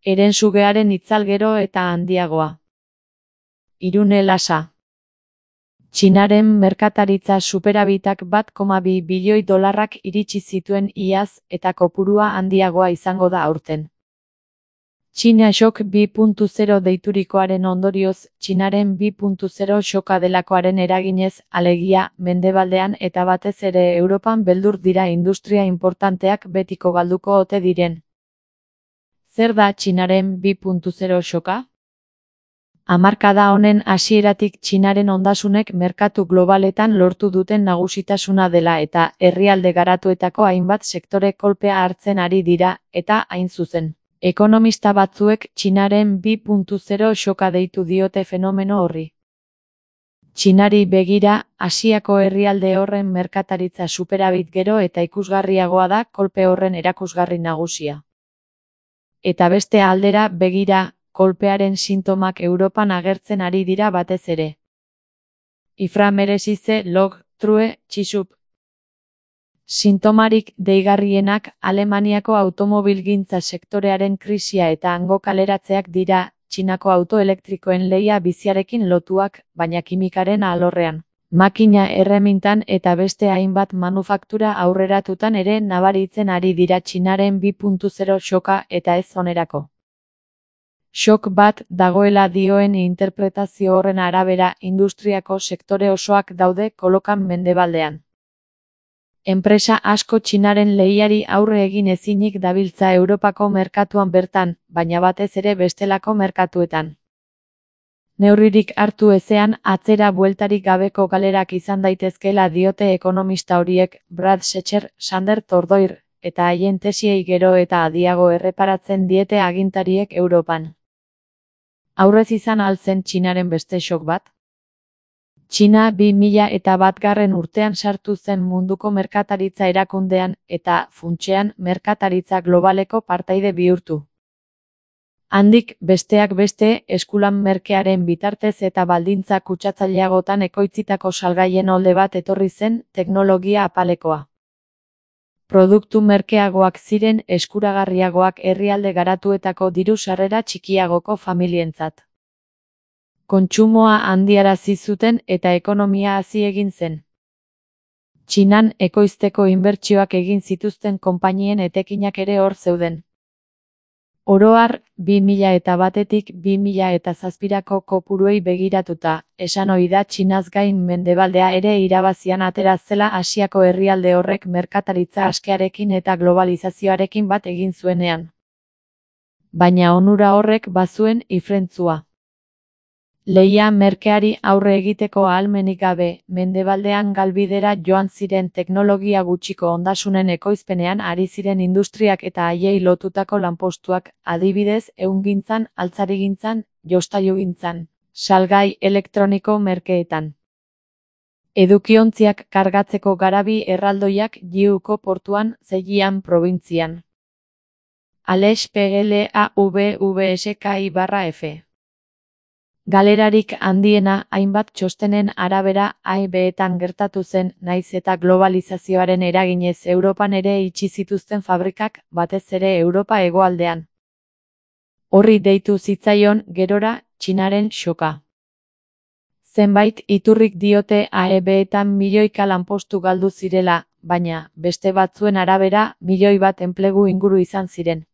Herensugearen itzal gero eta handiagoa. Irune Lasa. Txinaren merkataritza superabitak $1,2 bilioi iritsi zituen iaz eta kopurua handiagoa izango da aurten. China Shock 2.0 deiturikoaren ondorioz, Txinaren 2.0 shoka delakoaren eraginez, alegia, mendebaldean eta batez ere Europan beldur dira industria inportanteak betiko galduko ote diren. Zer da Txinaren 2.0 shoka? Hamarkada honen hasieratik Txinaren ondasunek merkatu globaletan lortu duten nagusitasuna dela eta herrialde garatuetako hainbat sektore kolpea hartzen ari dira, eta hain zuzen. Ekonomista batzuek Txinaren 2.0 shoka deitu diote fenomeno horri. Txinari begira, Asiako herrialde horren merkataritza superabit gero eta ikusgarriagoa da kolpe horren erakusgarri nagusia. Eta beste aldera begira, kolpearen sintomak Europan agertzen ari dira batez ere. Ifra meresize log, true, txisup. Sintomarik deigarrienak Alemaniako automobilgintza sektorearen krisia eta hango kaleratzeak dira, Txinako autoelektrikoen lehia biziarekin lotuak, baina kimikaren alorrean, makina erremintan eta beste hainbat manufaktura aurreratutan ere nabaritzen ari dira Txinaren 2.0 shoka eta ez onerako. Shock bat dagoela dioen interpretazio horren arabera industriako sektore osoak daude kolokan mendebaldean. Enpresa asko Txinaren lehiari aurre egin ezinik dabiltza Europako merkatuan bertan, baina batez ere bestelako merkatuetan. Neurririk hartu ezean atzera bueltarik gabeko galerak izan daitezkeela diote ekonomista horiek, Brad Schechter, Sander Tordoir, eta haien tesiei gero eta adiago erreparatzen diete agintariek Europan. Aurrez izan altzen Txinaren beste shock bat? Txina 2001 urtean sartu zen munduko merkataritza erakundean eta, funtsean, merkataritza globaleko partaide bihurtu. Handik, besteak beste, eskulan merkearen bitartez eta baldintza kutsatzaileagotan ekoitzitako salgaien olde bat etorri zen teknologia apalekoa. Produktu merkeagoak ziren eskuragarriagoak herrialde garatuetako diru sarrera txikiagoko familientzat. Kontsumoa handiarazi zuten eta ekonomia hazi egin zen. Txinan ekoizteko inbertsioak egin zituzten konpainien etekinak ere hor zeuden. Oro har, 2001-tik 2007-ko kopuruei begiratuta, esan ohi da Txinaz gain mendebaldea ere irabazian atera zela Asiako herrialde horrek merkataritza askearekin eta globalizazioarekin bat egin zuenean. Baina onura horrek bazuen ifrentzua. Lehia merkeari aurre egiteko ahalmenik gabe, mendebaldean galbidera joan ziren teknologia gutxiko ondasunen ekoizpenean ari ziren industriak eta haiei lotutako lanpostuak, adibidez, ehungintzan, altzarigintzan, jostailugintzan, salgai elektroniko merkeetan. Edukiontziak kargatzeko garabi erraldoiak Jiuko portuan, Zhejiang probintzian. Aleix PLAVVSKI/F. Galerarik handiena hainbat txostenen arabera AEB-etan gertatu zen, naiz eta globalizazioaren eraginez Europan ere itxi zituzten fabrikak, batez ere Europa hegoaldean. Horri deitu zitzaion, gerora, Txinaren shoka. Zenbait iturrik diote AEB-etan milioika lanpostu galdu zirela, baina, beste batzuen arabera, 1 milioi enplegu inguru izan ziren.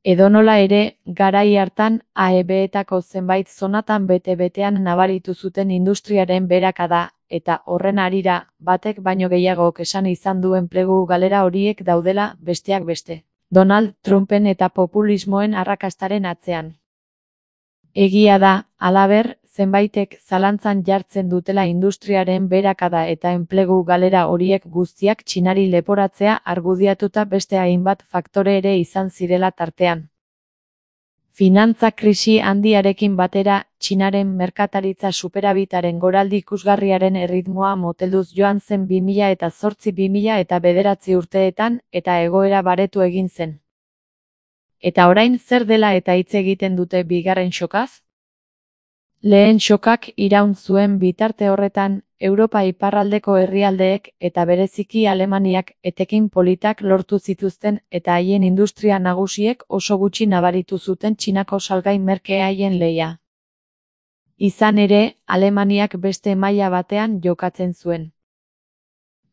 Edonola ere, garai hartan, AEB-etako zenbait zonatan bete-betean nabaritu zuten industriaren beherakada, eta horren harira, batek baino gehiagok esan izan du enplegu galera horiek daudela, besteak beste. Donald Trumpen eta populismoen arrakastaren atzean. Egia da, halaber, zenbaitek zalantzan jartzen dutela industriaren beherakada eta enplegu galera horiek guztiak Txinari leporatzea argudiatuta beste hainbat faktore ere izan zirela tartean. Finantza krisi handiarekin batera, Txinaren merkataritza superabitaren goraldi ikusgarriaren erritmoa motelduz joan zen 2008-2009 urteetan, eta egoera baretu egin zen. Eta orain zer dela eta hitz egiten dute bigarren shokaz? Lehen xokak iraun zuen bitarte horretan, Europa iparraldeko herrialdeek eta bereziki Alemaniak etekin politak lortu zituzten eta haien industria nagusiek oso gutxi nabaritu zuten Txinako salgai merke haien lehia. Izan ere, Alemaniak beste maila batean jokatzen zuen.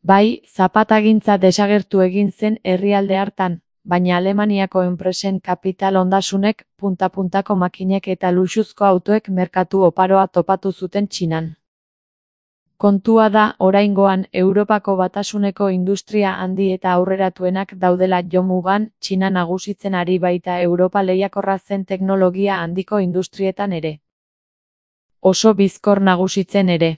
Bai, zapatagintza desagertu egin zen herrialde hartan, baina Alemaniako enpresen kapital ondasunek, punta-puntako makinek eta luxuzko autoek merkatu oparoa topatu zuten Txinan. Kontua da, oraingoan, Europako Batasuneko industria handi eta aurreratuenak daudela jomugan, Txina nagusitzen ari baita Europa lehiakorra zen teknologia handiko industrietan ere. Oso bizkor nagusitzen ere.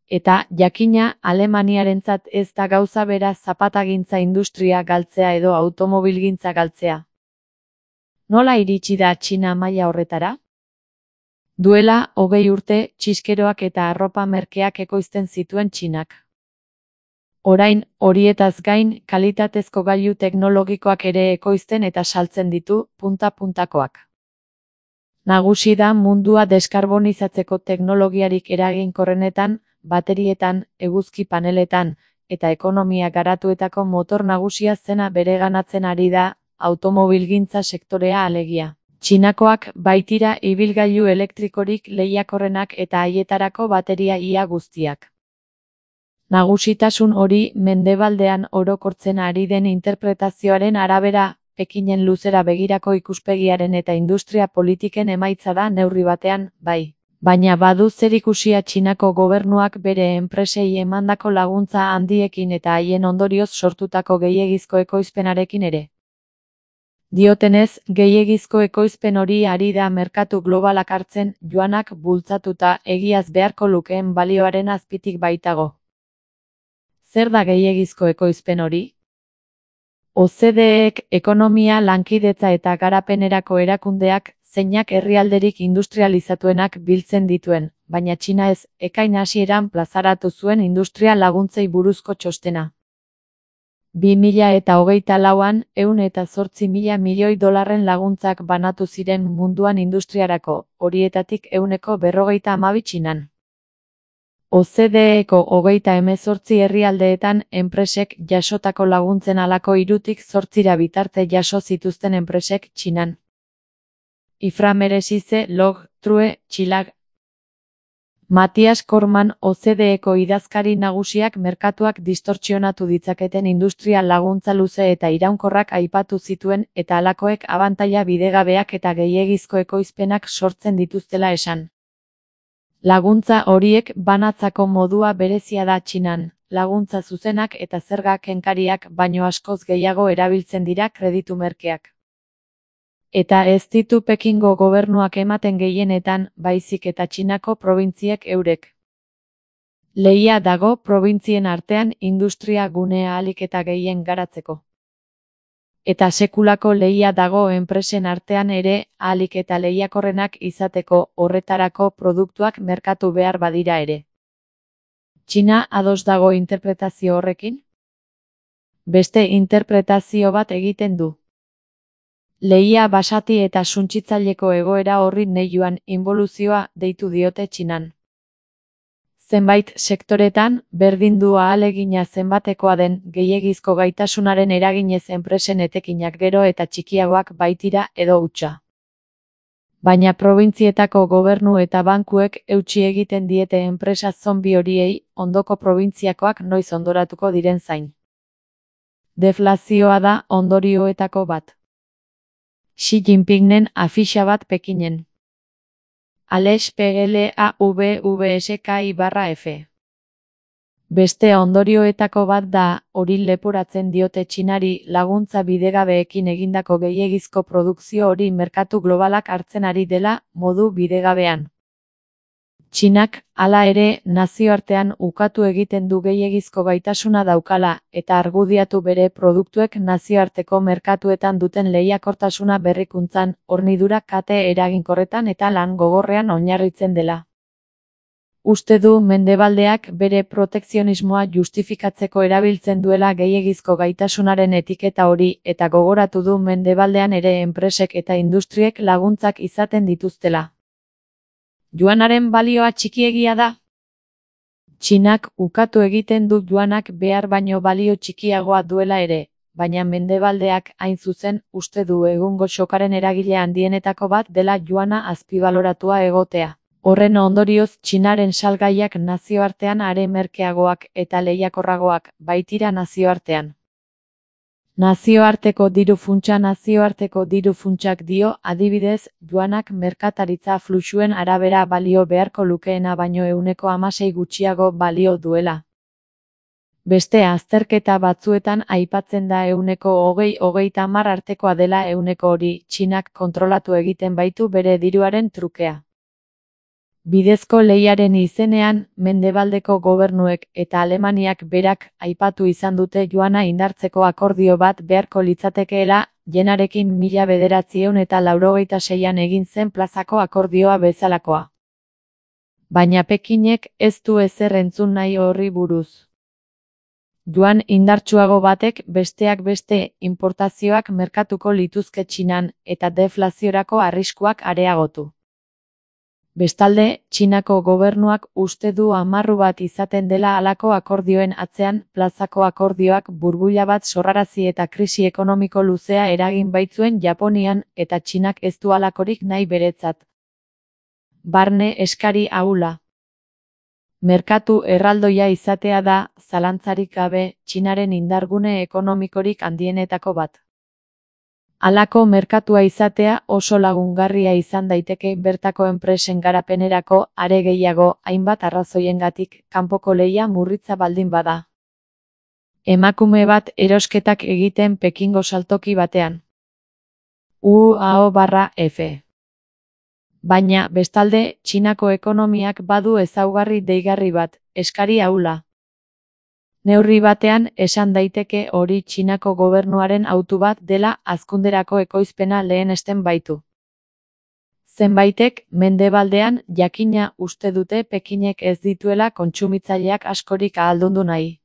Eta, jakina, Alemaniarentzat ez da gauza bera zapatagintza industria galtzea edo automobilgintza galtzea. Nola iritsi da Txina maila horretara? Duela, 20 urte, txiskeroak eta arropa merkeak ekoizten zituen Txinak. Orain, horietaz gain, kalitatezko gailu teknologikoak ere ekoizten eta saltzen ditu, punta-puntakoak. Nagusi da mundua deskarbonizatzeko teknologiarik eraginkorrenetan, baterietan, eguzki paneletan, eta ekonomia garatuetako motor nagusia zena bereganatzen ari da, automobilgintza sektorea alegia. Txinakoak baitira ibilgailu elektrikorik lehiakorrenak eta haietarako bateria ia guztiak. Nagusitasun hori mendebaldean orokortzen ari den interpretazioaren arabera, Pekinen luzera begirako ikuspegiaren eta industria politiken emaitza da neurri batean, bai. Baina badu zerikusia Txinako gobernuak bere enpresei emandako laguntza handiekin eta haien ondorioz sortutako gehiegizko ekoizpenarekin ere. Diotenez, gehiegizko ekoizpen hori ari da merkatu globalak hartzen, joanak bultzatuta egiaz beharko lukeen balioaren azpitik baitago. Zer da gehiegizko ekoizpen hori? OCDEek ekonomia lankidetza eta garapenerako erakundeak, zeinak herrialderik industrializatuenak biltzen dituen, baina Txina ez, ekain hasieran plazaratu zuen industria laguntzei buruzko txostena. 2024an, 108.000 milioi dolarren laguntzak banatu ziren munduan industriarako, horietatik 152 Txinan. OCDEko 38 herrialdeetan enpresek jasotako laguntzen halako 3tik 8 bitarte jaso zituzten enpresek Txinan. Ifra meresize log, true, txilag. Matias Korman OCDEko idazkari nagusiak merkatuak distortsionatu ditzaketen industria laguntza luze eta iraunkorrak aipatu zituen eta halakoek abantaila bidegabeak eta gehiegizko ekoizpenak sortzen dituztela esan. Laguntza horiek banatzako modua berezia da Txinan, laguntza zuzenak eta zerga kenkariak baino askoz gehiago erabiltzen dira kreditu merkeak. Eta ez ditu Pekingo gobernuak ematen gehienetan, baizik eta Txinako probintziek eurek. Lehia dago probintzien artean industria gunea ahalik eta gehien garatzeko. Eta sekulako lehia dago enpresen artean ere, ahalik eta lehiakorrenak izateko horretarako produktuak merkatu behar badira ere. Txina ados dago interpretazio horrekin? Beste interpretazio bat egiten du. Lehia basati eta suntsitzaileko egoera horri neiuan inboluzioa deitu diote Txinan. Zenbait sektoretan, berdin du ahalegina zenbatekoa den gehiegizko gaitasunaren eraginez enpresen etekinak gero eta txikiagoak baitira edo hutsa. Baina probintzietako gobernu eta bankuek eutsi egiten diete enpresa zonbi horiei, ondoko probintziakoak noiz ondoratuko diren zain. Deflazioa da ondorioetako bat. Xi Jinpingen afixa bat Pekinen. Alex PLAVVSKI/F. Beste ondorioetako bat da, hori leporatzen diote Txinari laguntza bidegabeekin egindako gehiegizko produkzio hori merkatu globalak hartzen ari dela, modu bidegabean. Txinak, hala ere, nazioartean ukatu egiten du gehiegizko gaitasuna daukala, eta argudiatu bere produktuek nazioarteko merkatuetan duten lehiakortasuna berrikuntzan, hornidura kate eraginkorretan eta lan gogorrean oinarritzen dela. Uste du mendebaldeak bere protekzionismoa justifikatzeko erabiltzen duela gehiegizko gaitasunaren etiketa hori eta gogoratu du mendebaldean ere enpresek eta industriek laguntzak izaten dituztela. Juanaren balioa txikiegia da? Txinak ukatu egiten du juanak behar baino balio txikiagoa duela ere, baina Mendebaldeak hain zuzen uste du egungo sokaren eragile handienetako bat dela juana azpibaloratua egotea. Horren ondorioz Txinaren salgaiak nazioartean are merkeagoak eta lehiakorragoak baitira nazioartean. Nazioarteko diru funtsak dio, adibidez, juanak merkataritza fluxuen arabera balio beharko lukeena baino 16% gutxiago balio duela. Beste azterketa batzuetan aipatzen da 20-30 artekoa dela hori, Txinak kontrolatu egiten baitu bere diruaren trukea. Bidezko lehiaren izenean, Mendebaldeko gobernuek eta Alemaniak berak aipatu izan dute juana indartzeko akordio bat beharko litzatekeela, jenarekin 1986an egin zen plazako akordioa bezalakoa. Baina Pekinek ez du ezer entzun nahi horri buruz. Juan indartsuago batek besteak beste inportazioak merkatuko lituzke Txinan eta deflaziorako arriskuak areagotu. Bestalde, Txinako gobernuak uste du amarru bat izaten dela halako akordioen atzean, plazako akordioak burbuila bat sorrarazi eta krisi ekonomiko luzea eragin baitzuen Japonian eta Txinak ez du halakorik nahi beretzat. Barne eskari ahula. Merkatu erraldoia izatea da, zalantzarik gabe, Txinaren indargune ekonomikorik handienetako bat. Halako merkatua izatea oso lagungarria izan daiteke bertako enpresen garapenerako, are gehiago, hainbat arrazoiengatik, kanpoko lehia murritza baldin bada. Emakume bat erosketak egiten Pekingo saltoki batean. UAO/F. Baina, bestalde, Txinako ekonomiak badu ezaugarri deigarri bat, eskari ahula. Neurri batean, esan daiteke hori Txinako gobernuaren autu bat dela hazkunderako ekoizpena lehenesten baitu. Zenbaitek, Mendebaldean, jakina uste dute Pekinek ez dituela kontsumitzaileak askorik ahaldundu nahi.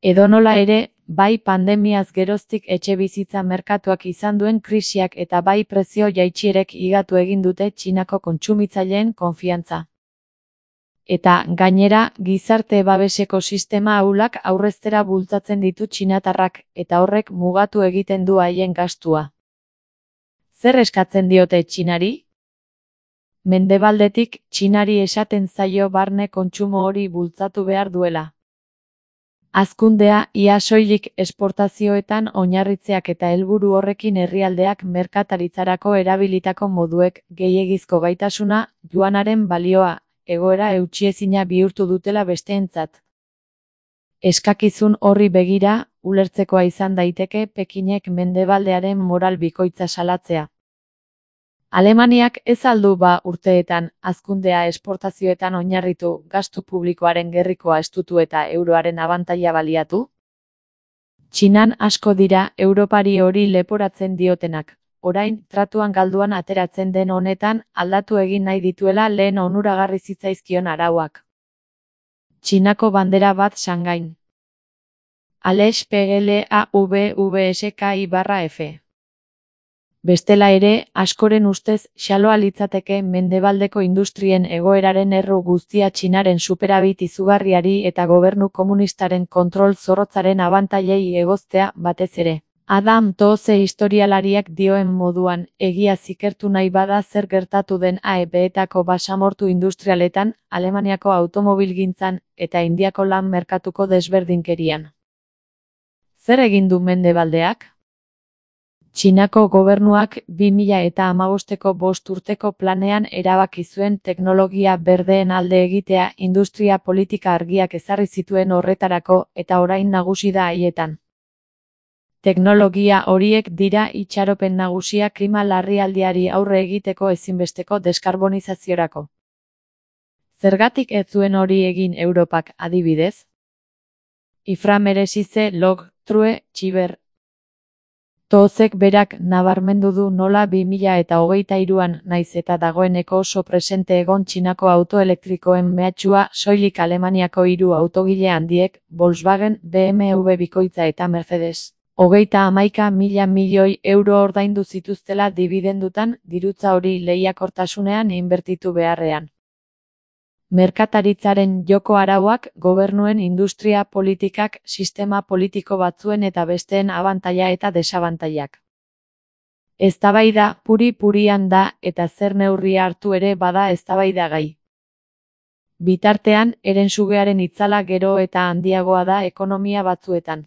Edonola ere, bai pandemiaz geroztik etxebizitza merkatuak izan duen krisiak eta bai prezio jaitsierek higatu egin dute Txinako kontsumitzaileen konfiantza. Eta, gainera, gizarte babeseko sistema ahulak aurreztera bultzatzen ditu txinatarrak, eta horrek mugatu egiten du haien gastua. Zer eskatzen diote Txinari? Mendebaldetik, Txinari esaten zaio barne kontsumo hori bultzatu behar duela. Hazkundea, ia soilik esportazioetan oinarritzeak eta helburu horrekin herrialdeak merkataritzarako erabilitako moduek, gehiegizko gaitasuna, juanaren balioa, egoera eutsiezina bihurtu dutela besteentzat. Eskakizun horri begira, ulertzekoa izan daiteke Pekinek Mendebaldearen moral bikoitza salatzea. Alemaniak ez al du urteetan, hazkundea esportazioetan oinarritu, gastu publikoaren gerrikoa estutu eta euroaren abantaila baliatu? Txinan asko dira Europari hori leporatzen diotenak. Orain, tratuan galduan ateratzen den honetan, aldatu egin nahi dituela lehen onuragarri zitzaizkion arauak. Txinako bandera bat Shanghai. Alex PLAVVSKI/F. Bestela ere, askoren ustez, xaloa litzateke Mendebaldeko industrien egoeraren erru guztia Txinaren superabit izugarriari eta gobernu komunistaren kontrol zorrotzaren abantailei egoztea batez ere. Adam Tooze historialariak dioen moduan, egia zikertu nahi bada zer gertatu den AEB-etako basamortu industrialetan, Alemaniako automobilgintzan eta Indiako lan merkatuko desberdinkerian. Zer egin du Mendebaldeak? Txinako gobernuak 2015ko 5 urteko planean erabaki zuen teknologia berdeen alde egitea industria politika argiak ezarri zituen horretarako eta orain nagusi da haietan. Teknologia horiek dira itxaropen nagusia klima larrialdiari aurre egiteko ezinbesteko deskarbonizaziorako. Zergatik ez zuen hori egin Europak adibidez? Iframeresize log, true, txiber. Toozek berak nabarmendu du nola 2023an naiz eta dagoeneko oso presente egon Txinako autoelektrikoen mehatxua soilik Alemaniako 3 autogile handiek, Volkswagen, BMW bikoitza eta Mercedes. 31.000 milioi euro ordaindu zituztela dibidendutan, dirutza hori lehiakortasunean inbertitu beharrean. Merkataritzaren joko arauak, gobernuen industria politikak, sistema politiko batzuen eta besteen abantaila eta desabantailak. Eztabaida puri-purian da eta zer neurria hartu ere bada eztabaidagai. Bitartean, herensugearen itzala gero eta handiagoa da ekonomia batzuetan.